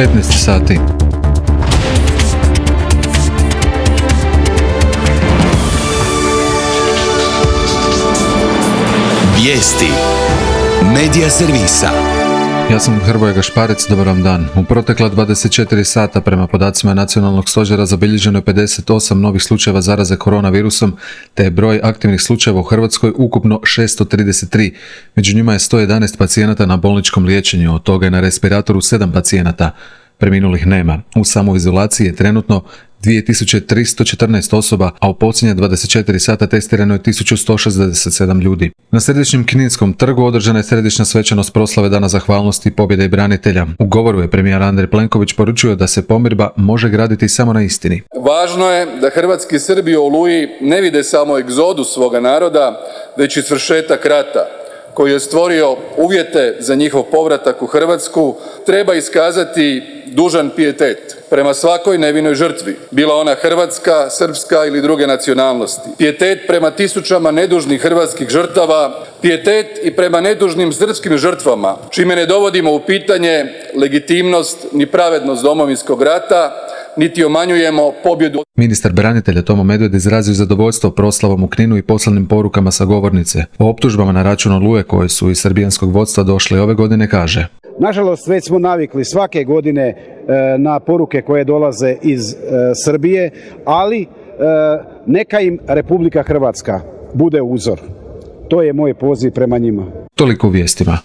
15 sati. Vijesti Medija servisa. Ja sam Hrvoje Gašparec, dobar vam dan. U protekla 24 sata prema podacima Nacionalnog stožera zabilježeno je 58 novih slučajeva zaraze koronavirusom, te je broj aktivnih slučajeva u Hrvatskoj ukupno 633. Među njima je 111 pacijenata na bolničkom liječenju, od toga je na respiratoru 7 pacijenata. Preminulih nema. U samoizolaciji je trenutno 2314 osoba, a u posljednje 24 sata testirano je 1167 ljudi. Na Središnjem Kninskom trgu održana je središnja svečanost proslave Dana zahvalnosti, pobjede i branitelja. U govoru je premijer Andrej Plenković poručio da se pomirba može graditi samo na istini. Važno je da hrvatski Srbi u Oluji ne vide samo egzodus svoga naroda, već i svršetak rata koji je stvorio uvjete za njihov povratak u Hrvatsku. Treba iskazati dužan pijetet prema svakoj nevinoj žrtvi, bila ona hrvatska, srpska ili druge nacionalnosti. Pijetet prema tisućama nedužnih hrvatskih žrtava, pijetet i prema nedužnim srpskim žrtvama, čime ne dovodimo u pitanje legitimnost ni pravednost Domovinskog rata, niti umanjujemo pobjedu. Ministar branitelja Tomo Medved izrazio zadovoljstvo proslavom u Kninu i poslanim porukama sa govornice. O optužbama na račun Oluje koje su iz srbijanskog vodstva došle ove godine kaže: nažalost, već smo navikli svake godine na poruke koje dolaze iz Srbije, ali neka im Republika Hrvatska bude uzor. To je moj poziv prema njima. Toliko u vijestima.